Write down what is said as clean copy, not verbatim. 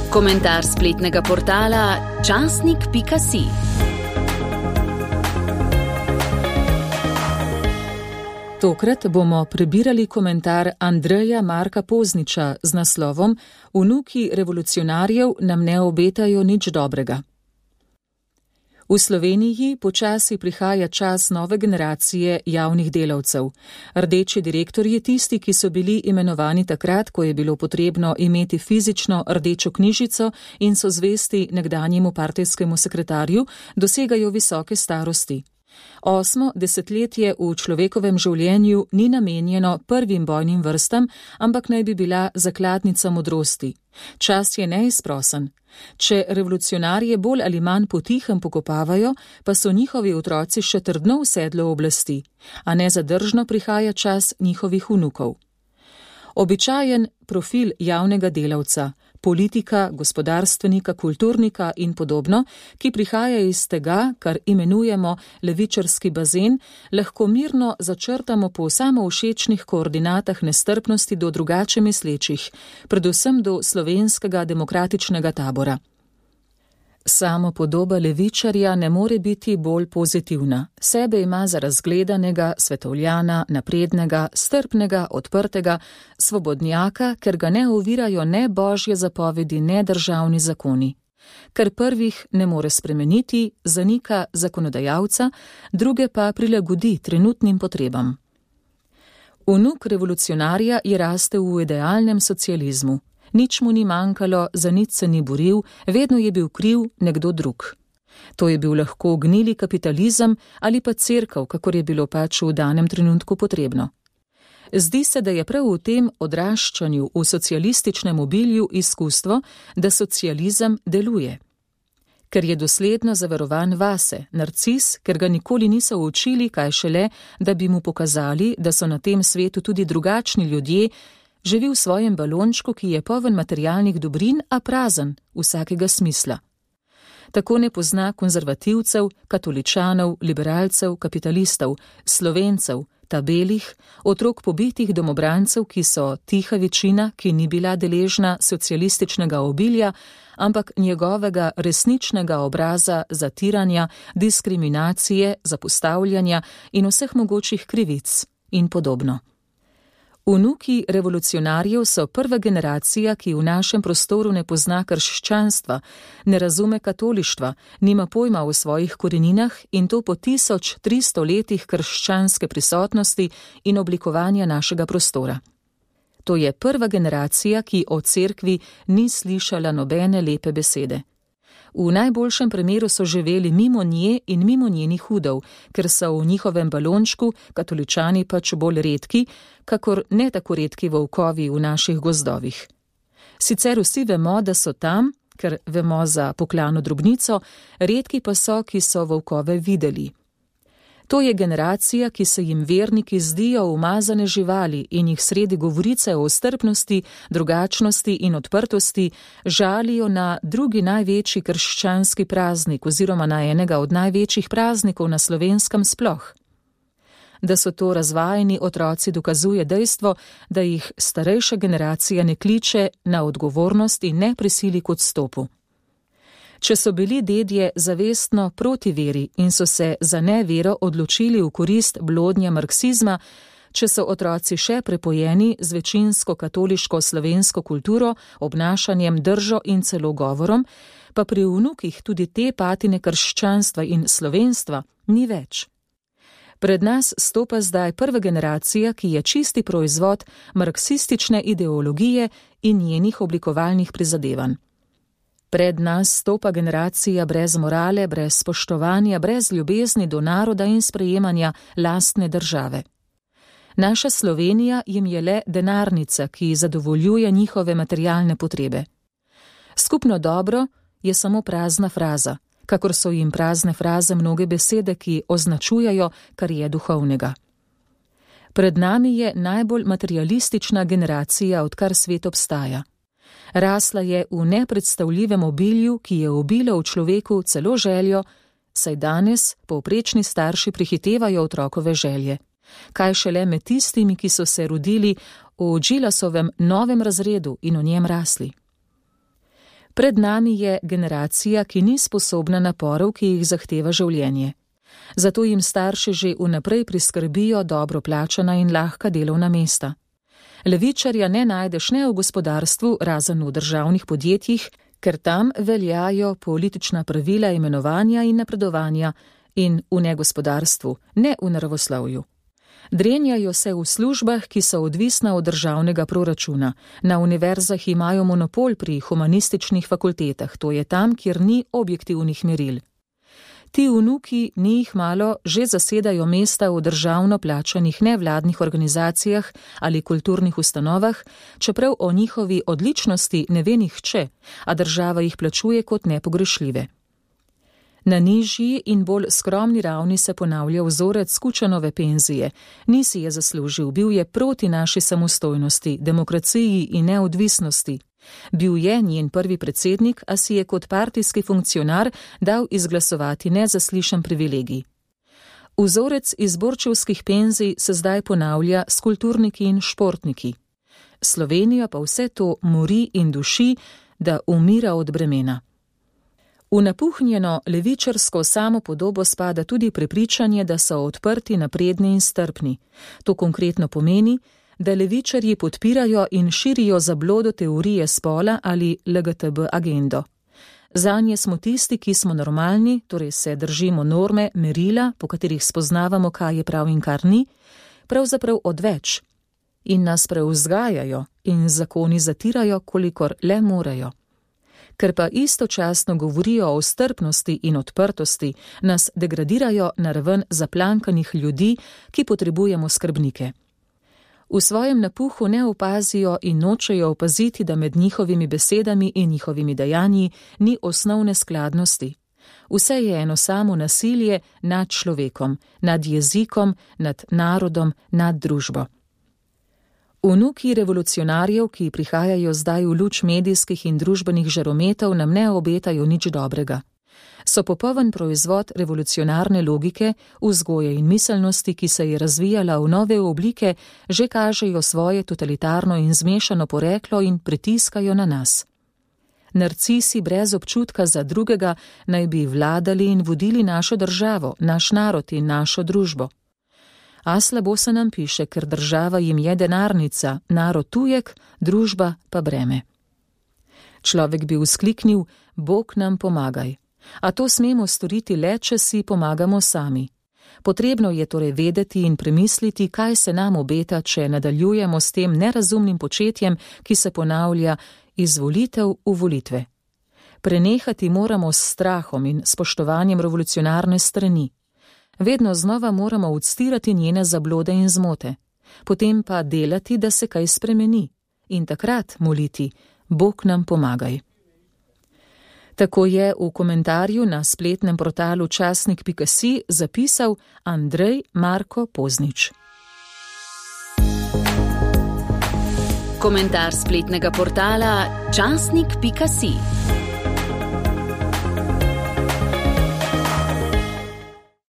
Komentar spletnega portala časnik.si. Tokrat bomo prebirali komentar Andreja Marka Pozniča z naslovom Vnuki revolucionarjev nam ne obetajo nič dobrega. V Sloveniji počasi prihaja čas nove generacije javnih delavcev. Rdeči direktorji, tisti, ki so bili imenovani takrat, ko je bilo potrebno imeti fizično rdečo knjižico in so zvesti nekdanjemu partijskemu sekretarju, dosegajo visoke starosti. 8. desetletje v človekovem življenju ni namenjeno prvim bojnim vrstam, ampak naj bi bila zakladnica modrosti. Čas je neizprosen. Če revolucionarje bolj ali manj potihem pokopavajo, pa so njihovi otroci še trdno v sedlu oblasti, a nezadržno prihaja čas njihovih vnukov. Običajen profil javnega delavca, politika, gospodarstvenika, kulturnika in podobno, ki prihaja iz tega, kar imenujemo levičarski bazen, lahko mirno začrtamo po samovšečnih koordinatah nestrpnosti do drugače mislečih, predvsem do slovenskega demokratičnega tabora. Samopodoba levičarja ne more biti bolj pozitivna. Sebe ima za razgledanega, svetovljana, naprednega, strpnega, odprtega, svobodnjaka, ker ga ne ovirajo ne božje zapovedi, ne državni zakoni. Ker prvih ne more spremeniti, zanika zakonodajalca, druge pa prilagodi trenutnim potrebam. Vnuk revolucionarja je rastel v idealnem socializmu. Nič mu ni manjkalo, za nič se ni boril, vedno je bil kriv nekdo drug. To je bil lahko gnili kapitalizem ali pa cerkev, kakor je bilo pač v danem trenutku potrebno. Zdi se, da je prav v tem odraščanju v socialističnem obilju izkustvo, da socializem deluje. Ker je dosledno zaverovan vase, narcis, ker ga nikoli niso učili, kaj šele, da bi mu pokazali, da so na tem svetu tudi drugačni ljudje, živi v svojem balončku, ki je poln materialnih dobrin, a prazen vsakega smisla. Tako ne pozna konzervativcev, katoličanov, liberalcev, kapitalistov, Slovencev, tabelih, otrok pobitih domobrancev, ki so tiha večina, ki ni bila deležna socialističnega obilja, ampak njegovega resničnega obraza zatiranja, diskriminacije, zapostavljanja in vseh mogočih krivic in podobno. Vnuki revolucionarjev so prva generacija, ki v našem prostoru ne pozna krščanstva, ne razume katolištva, nima pojma o svojih koreninah in to po 1300 letih krščanske prisotnosti in oblikovanja našega prostora. To je prva generacija, ki o cerkvi ni slišala nobene lepe besede. V najboljšem primeru so živeli mimo nje in mimo njenih udov, ker so v njihovem balončku katoličani pač bolj redki, kakor ne tako redki volkovi v naših gozdovih. Sicer vsi vemo, da so tam, ker vemo za Poklano drobnico, redki pa so, ki so volkove videli. To je generacija, ki se jim verniki zdijo umazane živali in jih sredi govorice o strpnosti, drugačnosti in odprtosti žalijo na drugi največji krščanski praznik oziroma na enega od največjih praznikov na Slovenskem sploh. Da so to razvajeni otroci, dokazuje dejstvo, da jih starejša generacija ne kliče na odgovornost in ne prisili k odstopu. Če so bili dedje zavestno proti veri in so se za nevero odločili v korist blodnja marksizma, če so otroci še prepojeni z večinsko katoliško slovensko kulturo, obnašanjem, držo in celo govorom, pa pri vnukih tudi te patine krščanstva in slovenstva ni več. Pred nas stopa zdaj prva generacija, ki je čisti proizvod marksistične ideologije in njenih oblikovalnih prizadevanj. Pred nas stopa generacija brez morale, brez spoštovanja, brez ljubezni do naroda in sprejemanja lastne države. Naša Slovenija jim je le denarnica, ki zadovoljuje njihove materialne potrebe. Skupno dobro je samo prazna fraza, kakor so jim prazne fraze mnoge besede, ki označujejo, kar je duhovnega. Pred nami je najbolj materialistična generacija, odkar svet obstaja. Rasla je v nepredstavljivem obilju, ki je ubilo v človeku celo željo, saj danes povprečni starši prehitevajo otrokove želje. Kaj šele med tistimi, ki so se rodili v Džilasovem novem razredu in v njem rasli. Pred nami je generacija, ki ni sposobna naporov, ki jih zahteva življenje. Zato jim starši že vnaprej priskrbijo dobro plačana in lahka delovna mesta. Levičarja ne najdeš ne v gospodarstvu, razen v državnih podjetjih, ker tam veljajo politična pravila imenovanja in napredovanja, in v negospodarstvu, ne v naravoslovju. Drenjajo se v službah, ki so odvisna od državnega proračuna. Na univerzah imajo monopol pri humanističnih fakultetah, to je tam, kjer ni objektivnih meril. Ti vnuki, ni jih malo, že zasedajo mesta v državno plačanih nevladnih organizacijah ali kulturnih ustanovah, čeprav o njihovi odličnosti ne ve nihče, a država jih plačuje kot nepogrešljive. Na nižji in bolj skromni ravni se ponavlja vzorec Kučanove penzije. Ni si je zaslužil, bil je proti naši samostojnosti, demokraciji in neodvisnosti. Bil je njen prvi predsednik, a si je kot partijski funkcionar dal izglasovati nezaslišan privilegij. Vzorec izborčevskih penzij se zdaj ponavlja s kulturniki in športniki. Slovenija pa vse to mori in duši, da umira od bremena. V napuhnjeno levičarsko samopodobo spada tudi prepričanje, da so odprti, napredni in strpni. To konkretno pomeni, da levičarji podpirajo in širijo zablodo teorije spola ali LGTB agendo. Zanje smo tisti, ki smo normalni, torej se držimo norme, merila, po katerih spoznavamo, kaj je prav in kar ni, pravzaprav odveč. In nas prevzgajajo in zakoni zatirajo, kolikor le morejo. Ker pa istočasno govorijo o strpnosti in odprtosti, nas degradirajo na raven zaplankanih ljudi, ki potrebujemo skrbnike. V svojem napuhu ne opazijo in nočejo opaziti, da med njihovimi besedami in njihovimi dejanji ni osnovne skladnosti. Vse je eno samo nasilje nad človekom, nad jezikom, nad narodom, nad družbo. Vnuki revolucionarjev, ki prihajajo zdaj v luč medijskih in družbenih žarometov, nam ne obetajo nič dobrega. So popoln proizvod revolucionarne logike, vzgoje in miselnosti, ki se je razvijala v nove oblike, že kažejo svoje totalitarno in zmešano poreklo in pritiskajo na nas. Narcisi brez občutka za drugega naj bi vladali in vodili našo državo, naš narod in našo družbo. A slabo se nam piše, ker država jim je denarnica, narod tujek, družba pa breme. Človek bi vzkliknil, Bog nam pomagaj. A to smemo storiti le, če si pomagamo sami. Potrebno je torej vedeti in premisliti, kaj se nam obeta, če nadaljujemo s tem nerazumnim početjem, ki se ponavlja iz volitev v volitve. Prenehati moramo s strahom in spoštovanjem revolucionarne strani. Vedno znova moramo odstirati njene zablode in zmote, potem pa delati, da se kaj spremeni in takrat moliti, Bog nam pomagaj. Tako je v komentarju na spletnem portalu časnik.si zapisal Andrej Marko Poznič. Komentar spletnega portala časnik.si.